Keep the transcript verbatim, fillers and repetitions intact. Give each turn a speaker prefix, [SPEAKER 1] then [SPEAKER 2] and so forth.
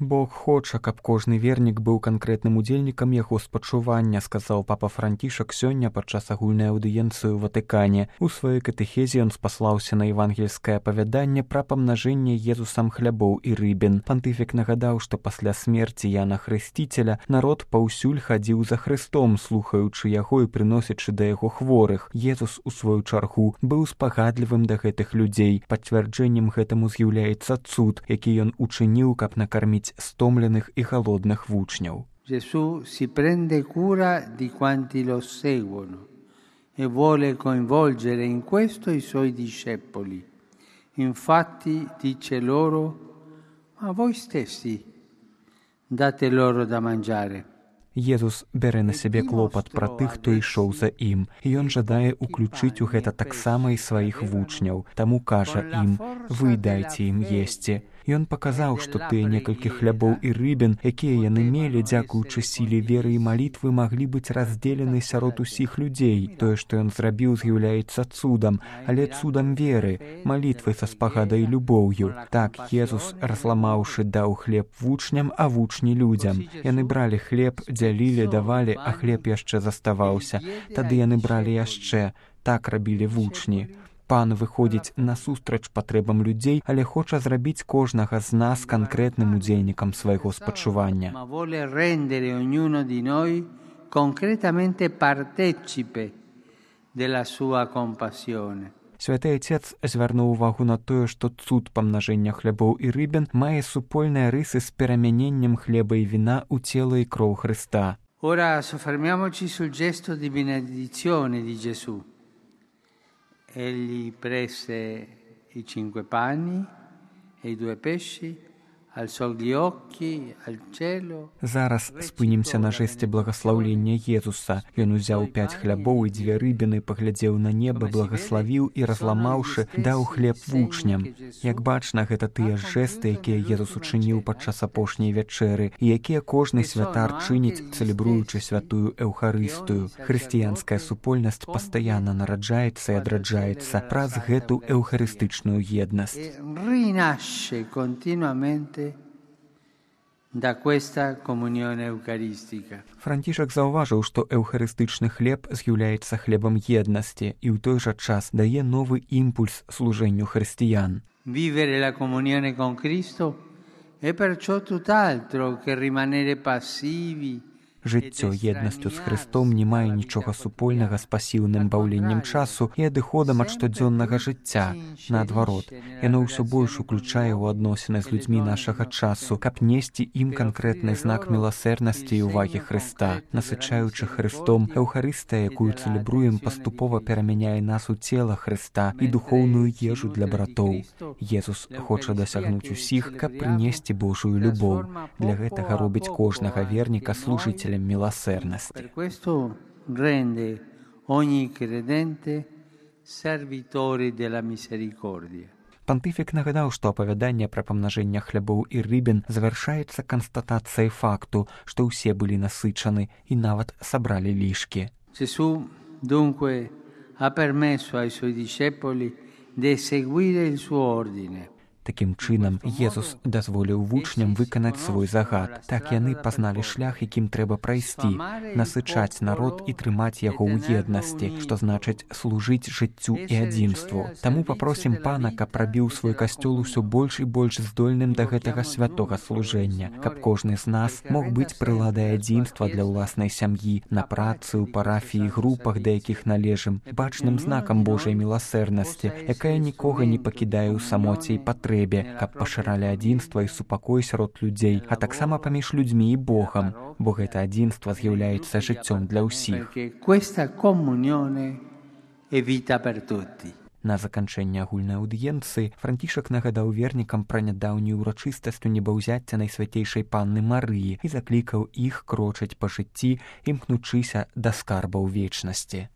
[SPEAKER 1] Бог хоча, каб кожны вернік быў канкрэтным удзельнікам яго спачування, сказаў папа Францішак сёння падчас агульнай аўдыенцыі ў Ватыкане. У сваёй катэхезе ён спаслаўся на евангельскае апавяданне пра памнажэнне Езусам хлябоў і рыбін. Пантыфік нагадаў, што пасля смерці Яна Хрысціцеля народ паўсюль хадзіў за Хрыстом, слухаючы яго і прыносячы да яго хворых. Езус, у сваю чаргу, быў спагадлівым да гэтых людзей. Пацвярджэннем гэтаму з'яўляецца цуд, які ён учыніў, каб накарміць стомленых і голодных вучняў.
[SPEAKER 2] Gesù si prende cura di quanti lo seguono e vuole coinvolgere in questo i suoi discepoli. Infatti dice loro: ma voi stessi date loro da mangiare.
[SPEAKER 1] Езус бярэ на сябе клопат пра тых, хто ішоў за ім, і ён жадае ўключыць у гэта таксама і сваіх вучняў. Таму кажа ім: вы дайце ім есці. Ён паказаў, што тыя некалькі хлябоў і рыбін, якія яны мелі, дзякуючы сіле веры і малітвы, маглі быць раздзелены сярод усіх людзей. Тое, што ён зрабіў, з'яўляецца цудам, але цудам веры, малітвы са спагадай любоўю. Так Езус, разламаўшы, даў хлеб вучням, а вучні людзям. Яны бралі хлеб, дзялілі, давалі, а хлеб яшчэ заставаўся. Тады яны бралі яшчэ. Так рабілі вучні. Пан выходзіць насустрач патрэбам людзей, але хоча зрабіць кожнага з нас канкрэтным удзельнікам свайго спачування. Святы Отец звярнуў увагу на тое, што цуд памнажэння хлябоў і рыбін мае супольныя рысы з перамяненнем хлеба і віна ў цела і кроў Хрыста.
[SPEAKER 2] Ora soffermiamoci sul gesto di benedizione di Gesù. Egli prese i cinque pani e i due pesci, alzò gli occhi al cielo.
[SPEAKER 1] Зараз спынімся на жэсце благаслаўлення Езуса. Ён узяў пяць хлябоў і дзве рыбіны, паглядзеў на неба, благаславіў і, разламаўшы, даў хлеб вучням. Як бачна, гэта тыя жэсты, якія Езус учыніў падчас апошняй вячэры, і якія кожны святар чыніць, цэлебруючы святую Эўхарыстыю. Хрысціянская супольнасць пастаянна нараджаецца і адраджаецца праз гэту эўхарыстычную еднасць.
[SPEAKER 2] Rinasce continuamente da questa comunione eucaristica.
[SPEAKER 1] Францішак заўважыў, што эўхарыстычны хлеб з'яўляецца хлебам еднасці і ў той жа час дае новы імпульс служэнню хрысціян.
[SPEAKER 2] Vivere la comunione con Cristo è perciò tutt'altro che rimanere passivi.
[SPEAKER 1] Жыццё еднасцю з Хрыстом не мае нічога супольнага з пасіўным баўленнем часу і адыходам ад штодзённага жыцця. Наадварот, яно ўсё больш уключае ў адносіны з людзьмі нашага часу, каб несці ім канкрэтны знак міласэрнасці і ўвагі Хрыста. Насычаючы Хрыстом, Эўхарыстыя, якую цэлебруем, паступова перамяняе нас у цела Хрыста і духоўную ежу для братоў. Езус хоча дасягнуць усіх, каб прынесці Божую любоў. Для гэтага робіць кожнага верніка служыцелем милосердности.
[SPEAKER 2] Per questo rende ogni credente servitori della misericordia.
[SPEAKER 1] Пантыфік нагадаў, што апавяданне пра памнажэнне хлябоў і рыбін завяршаецца канстатацыяй факту, што ўсе былі насычаны і нават сабралі лішкі.
[SPEAKER 2] Gesù dunque ha permesso ai suoi discepoli di seguire il suo ordine.
[SPEAKER 1] Такім чынам, Езус дазволіў вучням выканаць свой загад. Так яны пазналі шлях, якім трэба прайсці, насычаць народ і трымаць яго ў еднасці, што значыць служыць жыццю і адзінству. Таму папросім Пана, каб рабіў свой касцёл усё больш і больш здольным да гэтага святога служэння, каб кожны з нас мог быць прыладай адзінства для ўласнай сям'і, на працы, у парафіі, групах, да якіх належым, бачным знакам Божай міласэрнасці, якая нікога не пакідае ў самоце і патрэбе, каб пашыралі адзінства і супакой сярод людзей, а таксама паміж людзьмі і Богам, бо гэта адзінства з'яўляецца жыццём для ўсіх. На заканчэнне агульнай аўдыенцыі Францішак нагадаў вернікам пра нядаўнюю ўрачыстасць у небаўзяцця Найсвятейшай Панны Марыі і заклікаў іх крочаць па жыцці, імкнучыся да скарбаў вечнасці.